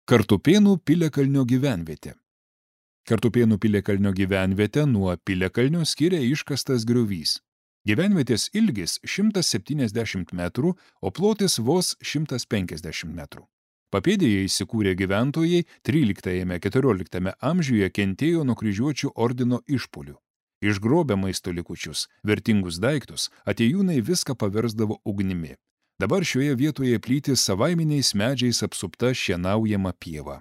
Kartupėnų Piliakalnio gyvenvietė. Kartupėnų Piliakalnio gyvenvietę nuo Piliakalnio skiria iškastas griovys. Gyvenvietės ilgis 170 metrų, o plotis vos 150 metrų. Papėdėje įsikūrę gyventojai 13–14 amžiuje kentėjo nuo kryžiuočių ordino išpuolių. Išgrobę maisto likučius, vertingus daiktus, atėjūnai viską paversdavo ugnimi. Dabar šioje vietoje plyti savaiminiais medžiais apsupta šienaujama pieva.